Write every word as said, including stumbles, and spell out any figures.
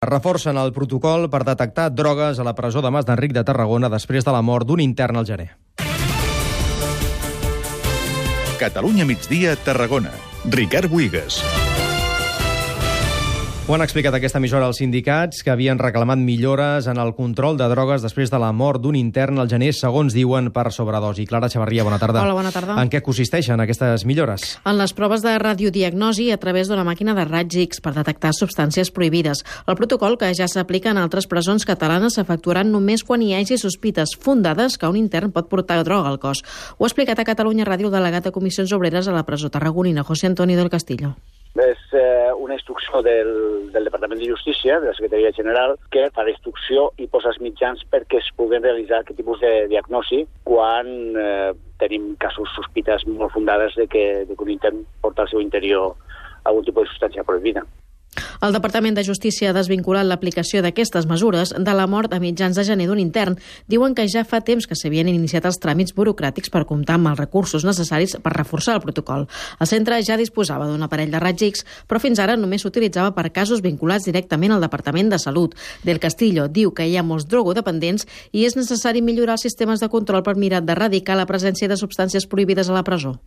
Reforcen el protocol per detectar drogues a la presó de Mas d'Enric de Tarragona després de la mort d'un intern al gener. Catalunya migdia, Tarragona. Ricard Buigas. Ho han explicat aquesta emissora als sindicats, que havien reclamat millores en el control de drogues després de la mort d'un intern al gener, segons diuen, per sobredosi. Clara Xavarria, bona tarda. Hola, bona tarda. En què consisteixen aquestes millores? En les proves de radiodiagnosi a través d'una màquina de raigs X per detectar substàncies prohibides. El protocol, que ja s'aplica en altres presons catalanes, s'efectuaran només quan hi hagi sospites fundades que un intern pot portar droga al cos. Ho ha explicat a Catalunya Ràdio el delegat de Comissions Obreres a la presó tarragonina, José Antonio del Castillo. És eh, una instrucció del, del Departament de Justícia, de la Secretaria General, que fa la instrucció i posa els mitjans perquè es puguen realitzar aquest tipus de diagnosi quan eh, tenim casos sospites molt fundades de que, de que un intern porta al seu interior algun tipus de substància prohibida. El Departament de Justícia ha desvinculat l'aplicació d'aquestes mesures de la mort a mitjans de gener d'un intern. Diuen que ja fa temps que s'havien iniciat els tràmits burocràtics per comptar amb els recursos necessaris per reforçar el protocol. El centre ja disposava d'un aparell de raigs X, però fins ara només s'utilitzava per casos vinculats directament al Departament de Salut. Del Castillo diu que hi ha molts drogodependents i és necessari millorar els sistemes de control per mirar d'erradicar la presència de substàncies prohibides a la presó.